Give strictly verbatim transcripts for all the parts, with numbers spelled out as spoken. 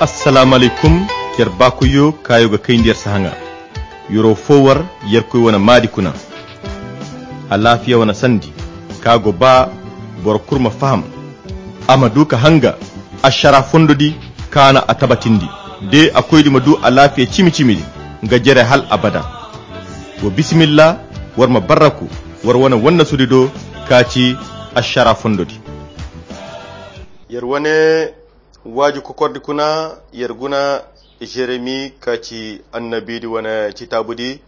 Assalaamu alaykum. Yer baakoyyo kaayo ga kayndi yer sahaŋa. Yero fo war yerkoy wane maadi kuna. Alaafiya wane sandi ka go ba boro kulu ma faham. A ma du ka hanga ašara fondo di kaana a tabatindi. De a koydi ma du alaafiya cimi-cimi di nga jere hal abada. Wo bisimilla, war ma barraku war wane wannasudi do ka ci ašara fondo di. Yer wane waaju kokordi kuna, yer guna jeremi ka ci annabiidi wane citaabudi.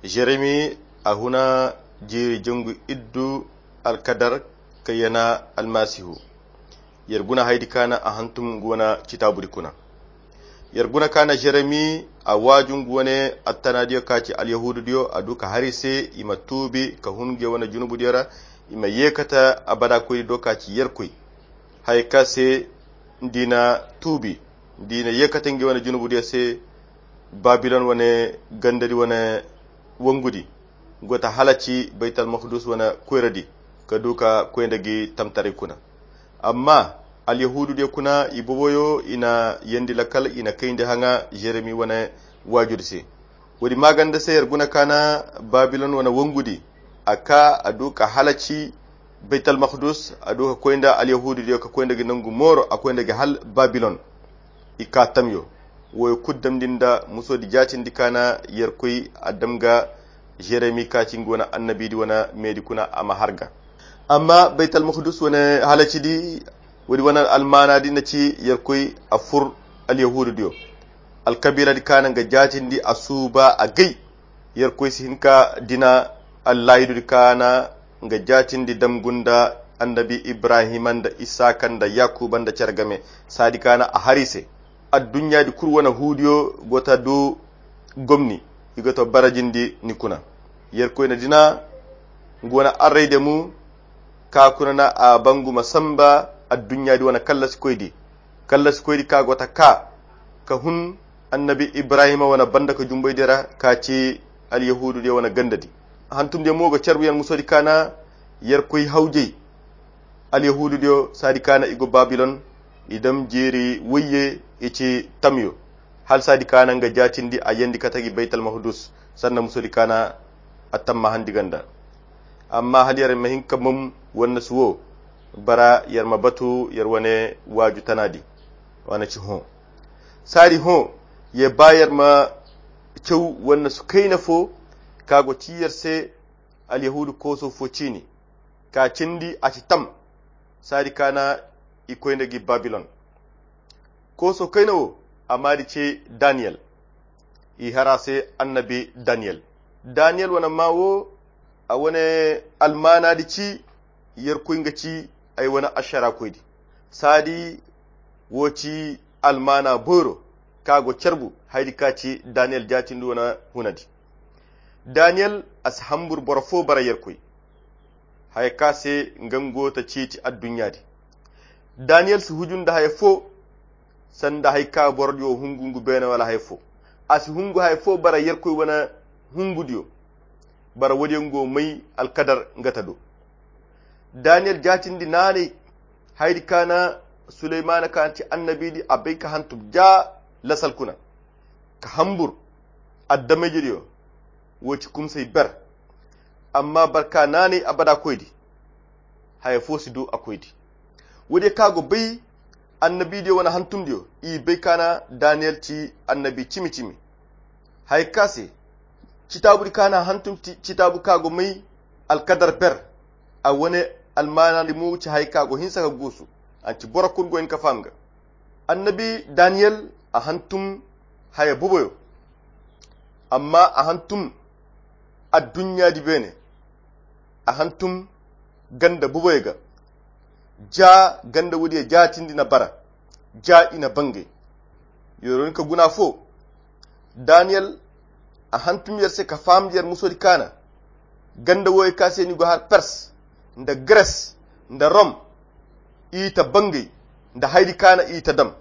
Jeremi a huna jiiri jangu iddu alkadar ka yana almasihu. Yer guna haydi kaana a hantum ngu wane citaabudi kuna. Yer guna kaana jeremi a waaju ngu wane attanaadiyo ka ci alyahuududiyo a du ka hari se i ma tuubi ka hun ngu wane junubudiyo ra. I ma yeekata abada koydi do ka ci yerkoy haya ka se ndi na tuubi, ndi na yeekata ngi wane junubudiyo se. Babilon wane gandadi wane wangudi go ta halaci baytal makdus wane koyradi ka du ka koy nda gi tamtaray kuna. Amma alyahuududiyo kuna i boboyo i na yandi lakal i na kayndi haŋa jeremi wane waajudi se. Woodi maaganda se yer guna kaana babilon wane wangudi a ka a du ka halaci baytal makdus a du ka koy nda alyahuududiyo ka koy nda gi nangu mooro a koy nda gi hal babilon. I ka tamyo woyo kulu damndi nda musoodi jaatindi kaana yerkoy a dam ga jeremi ka ci ngu wane annabiidi wane meedi kuna a ma har ga. Amma baytal makdus wane halacidi woodi wane almaanaadi na ci yerkoy a fur alyahuududiyo alkabiiladi kaana nga jaatindi a suuba a gay. Yerkoy si hin ka dina allaayidudi kaana nga jaatindi dam gunda annabi ibrahima nda isaaka nda yakuba nda cere game. Saadi kaana a hari se adduɲɲaadi kulu wane huudiyo go ta du gomni i go ta barajindi ni kuna. Yerkoy na dina ngu wane array demu ka kuna na a bangu ma samba adduɲɲaadi wane kallasikoydi. Kallasikoydi ka go ta ka ka hun annabi ibrahima wane banda ka jumboydi ra ka ci alyahuududiyo wane gandadi. Hantumdiyo mo ga carbu yer musoodi kaana yerkoy hawjey. Alyahuududiyo saadi kaana i go babilon i dam jeeri wayye i ci tamyo. Hala saadi kaana nga jaatindi a yandi kate gi baytal makdus sanda musoodi kaana a tamma handi ganda. Amma hala yer ma hin ka mom wannasu wo bara yer ma batu yer wane waaju tanaadi. Wane ci hõ saari hõ ye ba yer ma caw wannasu kayna fo ka go ci yer se. Alyahuudu kooso fo ciini ka cindi a ci tam. Saari kaana i koy nda gi babilon. Kooso kayna wo a maadi ce daniyel. I hara se annabi daniyel. Daniyel wane maa wo a wane almaanaadi ci yerkoy nga ci ay wane ašara koydi. Saadi wo ci almaana boyro ka go carbu haydi ka ci daniyel jaatindi wane hunadi. Daniyel a si hambur boro fo bara yerkoy haya ka se nga ngo ta ciiti adduɲɲaadi. Daniyel si huju nda haya fo sanda hay ka borodiyo hungu ngu beene wala hay fo. A si hungu hay fo bara yerkoy wane hungudiyo. Bara woodiyo ngo may alkadar nga ta do. Daniyel jaatindi naanay haydi kaana suleymaana kaana ti annabiidi a bay ka hantum ja lasal kuna ka hambur addamayjediyo. Wo ci kumsay ber amma barka naanay abada koydi. Haya fo si du a koydi. Woodiyo ka go bay annabiidiyo wane hantumdiyo i bay kaana daniyel ci annabi cimi-cimi. Haya ka se citaabudi kaana hantum citaabu ka go may alkadar ber. A wane almaanaadi mo ci haya ka go hinsa ka guusu. An ci boro kulu go hin ka faham ga annabi daniyel a hantum haya boboyo. Amma a hantum adduɲɲaadi beene a hantum ganda boboyo ga. Ja ganda woodiyo jaatindi na bara ja i na bangay. Yoro ni ka guna fo daniyel a hantum yer se ka faham yer musoodi kaana. Ganda woyo ka se ni go har pers nda gres nda rom i ta bangay nda hayri kaana i ta dam.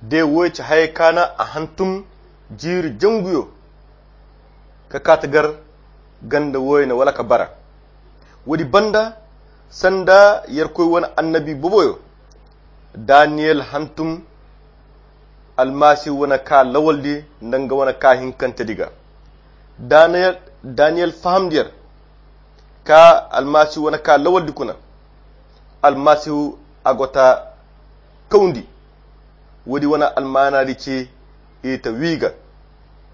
De woyo ci hayey kaana a hantum jiiri janguyo ka kaata gar ganda woyo na wala ka bara. Woodi banda sanda yerkoy wane annabi boboyo daniyel hantum Almasihu wane ka lawaldi nda nga wane ka hinkantedi ga. Daniyel, Daniyel fahamdi yer ka Almasihu wane ka lawaldi kuna. Almasihu a go ta kawndi. Woodi wane almaanadi ci i ta wiiga,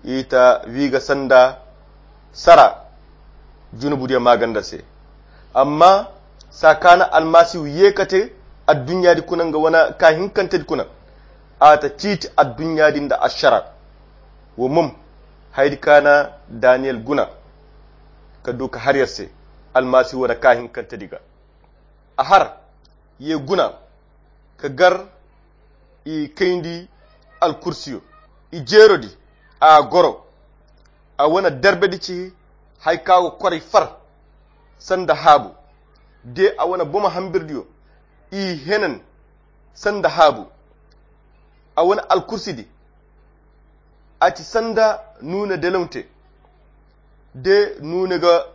i ta wiiga sanda sara junubudiyo maaganda se. Amma saa ka na Almasihu ye ka te adduɲɲaadi kuna nga wane ka hinkantedi kuna, a ta ciiti adduɲɲaadi nda ašara. Wo mom, hayadi ka na Daniyel guna ka du ka har yer se Almasihu wane ka hinkantedi ga. A har ye guna ka gar i kayndi alkursiyo. I jeerodi a goro. A wane derbedi ci hay ka go koray far sanda haabu. De a wane bomo hambirdiyo i henan sanda haabu. A wane alkursidi a ci sanda nuune delonte de nuune ga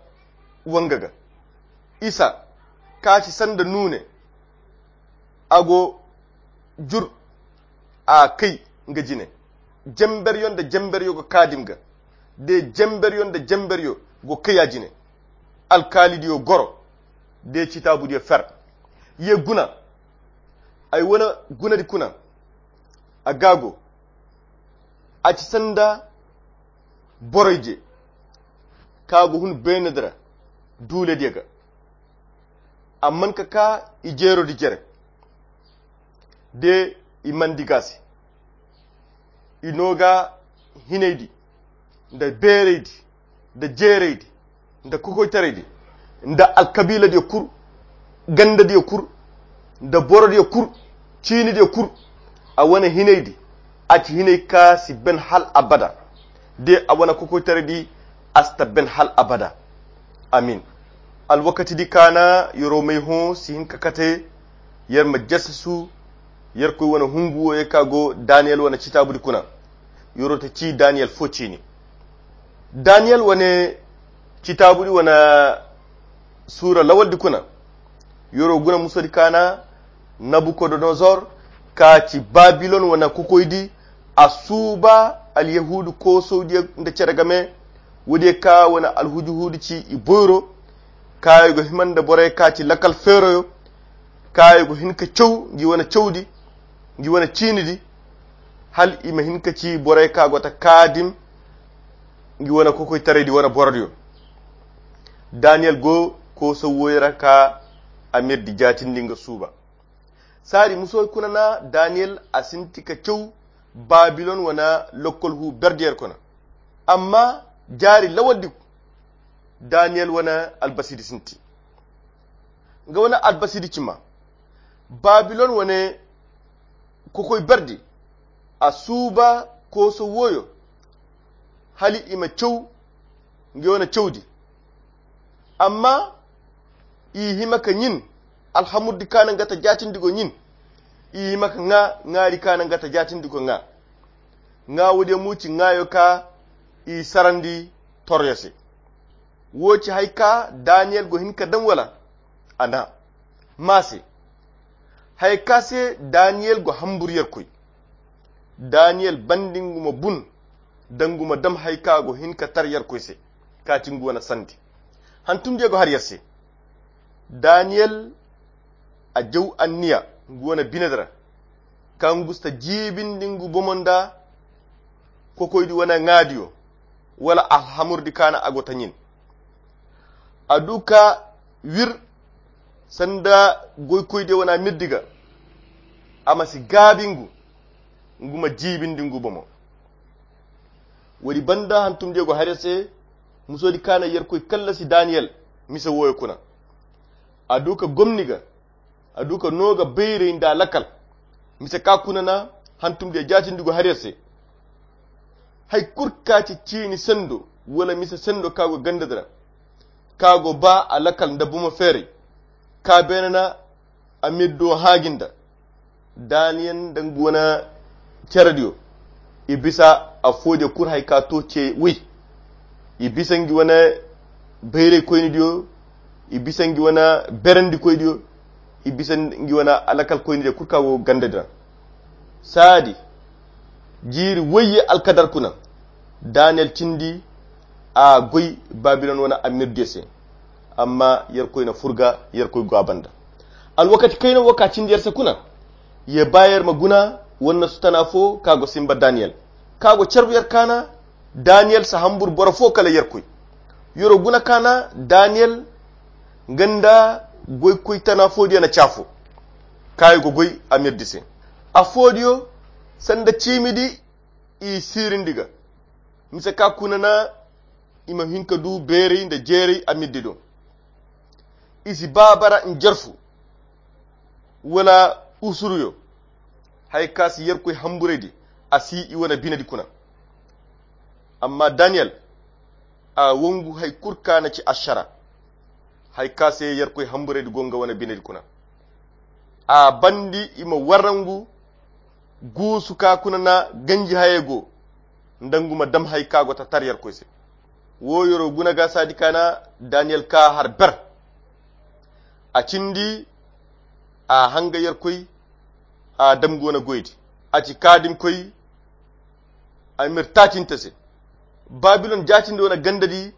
wanga ga. Isa ka ci sanda nuune a go jur a kay nga jine. Jemberyo nda jemberyo go kaadim ga de jemberyo nda jemberyo go kay a jine. Alkaalidiyo goro de citaabudiyo fer. Ye guna ay wane gunadi kuna. A gaago a ci sanda boroyje ka go hun beenadi ra duulediyo ga. Amman ka ka i jeerodi jere de i mandi ga se. I no ga hinaydi nda beeraydi nda jeeraydi nda kokoytaraydi nda alkabiiladiyo kul gandadiyo kul nda borodiyo kul ciinidiyo kul. A wane hinaydi a ci hinay ka si ben hal abada de a wane kokoytaraydi a si ta ben hal abada. Amin. Alwakatidi ka na yer'o may hõ si hin ka kate yer ma jasasu yerkoy wane hungu wo ye ka go daniyel wane citaabudi kuna. Yer'o ta ci daniyel fo ciini. Daniyel wane citaabudi wane suura lawaldi kuna. Yer'o guna musodi ka na nabukodonozor ka ci babilon wane kokoydi a suuba alyahuudu koosowdiyo nda cere game. Woodiyo ka wane alhujuhuudu ci i boyro ka i go hima nda borey ka ci lakal feeroyo ka i go hin ka caw ngi wane cawdi ngi wane ciinidi hal i ma hin ka ci borey ka go ta kaadim ngi wane kokoytaraydi wane borodiyo. Daniyel go koosow wooyo ra ka a mirdi jaatindi nga suuba. Saadi musoy kuna na daniyel a sinti ka caw babilon wane lokkol hu berdiyer kuna. Amma jaari lawaldi daniyel wane albasidi sinti. Nga wane albasidi cima babilon wane kokoy berdi a suuba kooso wooyo hali i ma caw nga wane cawdi. Amma i hima ka ɲin alhamurdi ka na nga ta jaatindi go ɲin. I hima ka ŋaa ŋaari ka na nga ta jaatindi go ŋaa. Ŋaa woodiyo mo ci ŋaayo ka i sarandi toryo se. Wo ci hay ka daniyel go hin ka daŋ wala? A na maa se hay ka se daniyel go hamburu yerkoy. Daniyel bandi nga ma bun da nga ma dam hay ka go hin ka tar yerkoy se ka ti nga wane sandi. Hantumdiyo go har yer se daniyel a jaw anniya nga wane binedi ra ka ngu si ta jiibindi ngu bomo nda kokoydi wane ŋaadiyo wala alhamurdi ka na a go ta ɲin. A du ka wir sanda goykoydiyo wane mirdi ga a ma si gaabi ngu ngu ma jiibindi ngu bomo. Woodi banda hantumdiyo go har yer se musoodi ka na yerkoy kallasi daniyel mise wooyo kuna. A du ka gomni ga a du ka no ga bayray nda lakkal. Mise ka kuna na hantumdiyo jaatindi go har yer se. Hay kul ka ci ciini sendo wala mise sendo ka go gandadi ra ka go ba a lakkal nda bomo feeray ka beene na a mirdo haaji nda daniyel nda nga wane cerediyo. I bisa afooje kul hay ka to ce woy. I bisa ngi wane bayraykoynidiyo. I bisa ngi wane berendikoydiyo. I bisa ngi wane alakalkoynidiyo kul ka go gandadi ra. Saadi jiiri wayye alkadar kuna. Daniyel cindi a goy babilon wane amir diyo se. Amma yerkoy na furga yerkoy go a banda. Alwakati kayna wo ka cindi yer se kuna, ye ba yer ma guna wannasu tana fo ka go simba daniyel, ka go carbu yer kaana. Daniyel si hambur boro fo kala yerkoy. Yero guna kaana daniyel nga nda goykoy tana fo diyo na caafo, ka i go goy amir di se. Afo diyo sanda ciimi di i siirindi ga. Mise ka kuna na i ma hin ka du beeray nda jeeray a middi do. I si ba bara njarfu wala usuruyo. Hay ka si yerkoy hamburaydi a si i wane binedi kuna. Amma daniyel a wangu hay kul ka na ci ašara. Hay ka se yerkoy hamburaydi go nga wane binedi kuna. A bandi i ma warangu guusu ka kuna na ganji hayey go nda ngu ma dam hay ka go ta tar yerkoy se. Wo yero guna ga saadi ka na daniyel ka har ber. A cindi a hanga yerkoy a dam go na goydi. A ci kaadimkoy a mir taacinte se. Babilon jaatindi wane ganda di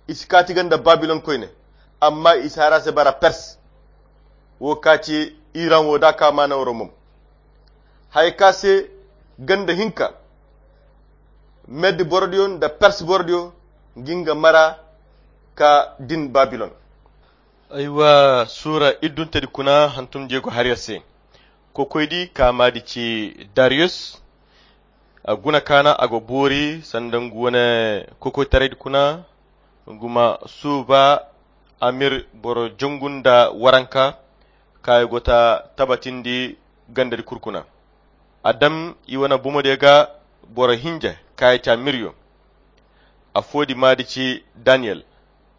i si kaati ganda babilon koyne. Amma i si hara se bara pers. Wo ka ci iran wo da ka maana woro mom. Haya ka se ganda hinka meddi borodiyo nda pers borodiyo ngi nga mara ka din babilon. Aywa suura iddunte di kuna hantum jeego har yer se. Kokoydi ka maadi ci dariyus. A guna kaana a go boori sanda ngu wane kokoytaray di kuna. Ngu ma suuba amir boro jongu nda waranka ka i go ta tabatindi ganda di kul kuna. A dam i wane bomodiyo ga boro hinja ka i ci amiryo. Afo di maadi ci daniyel.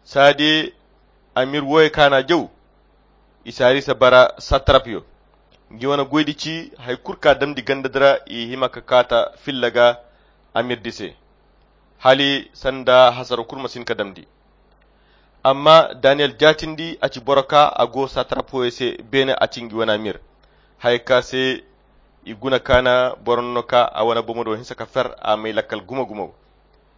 Saadi amir wooyo kaana jaw. I si hari se bara satrapyo. Ngi wane goydi ci hay kul ka damndi ganda di ra i hima ka kaata filla ga amir di se. Hali sanda hasaro kul ma si hin ka damndi. Amma daniyel jaatindi a ci boro ka a go satrap wooyo se beene a ci ngi wane amir. Haya ka se i guna kaana boro no ka a wane bomodo hinsa ka fer a may lakkal gumo gumo.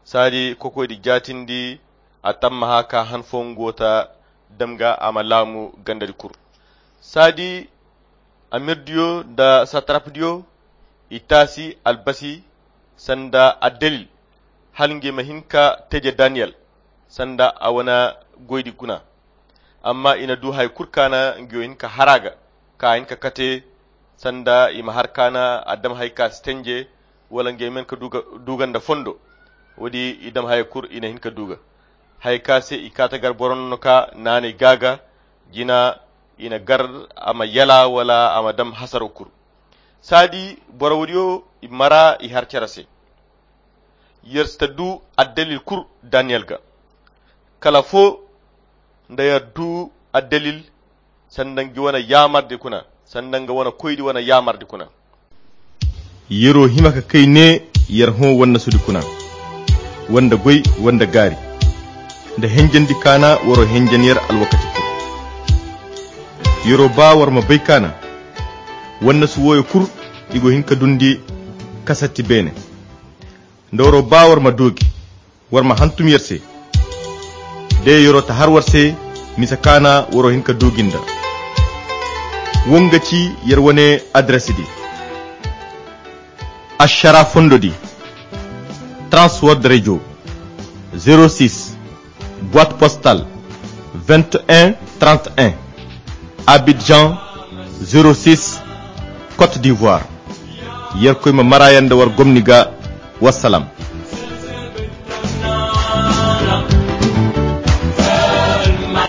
Saadi kokoydi jaatindi a tammaha ka han fo ngu wo ta dam ga a ma laamu ganda di kul. Saadi amirdiyo nda satarapdiyo i taasi albasi sanda addalil hala ngey ma hin ka teje daniyel sanda a wane goydi guna. Amma i na du hari kul kaana ngi wo hin ka har a ga ka hin ka kate sanda i ma har kaana a dam hari ka si tenje wala ngey ma hin ka du ga nda fondo. Woodi i dam hari kul i na hin ka du ga hari ka se i kaata gar boro no ka naanay gaaga jina i na gar a ma yala wala a ma dam hasaro kul. Saadi boro woodiyo i mara i har cere se. Yer si ta du addalil kul daniyel ga kala fo nda yer du addalil sanda ngi wane yaamardi kuna sanda nga wane koydi wane yaamardi kuna. Yer'o hima ka kay ne yer hõ wannasudi kuna wanda goy wanda gaari nda henjandi kaana war'o henjan yer alwakati kul. Yer'o ba war ma bay kaana wannasu wooyo kul i go hin ka dundi kasatti beene. Nda war'o ba war ma doogi war ma hantum yer se. De yer'o ta har war se mise kaana war'o hin ka doogi nda. Wo nga ci yer wane adres di. Ašara fondo di. Transworld radio. Zero six boite postale vingt et un trente et un. Abidjan. Zero six. Côte d'ivoire. Yerkoy ma mara yer nda war gomni ga. Wassalam.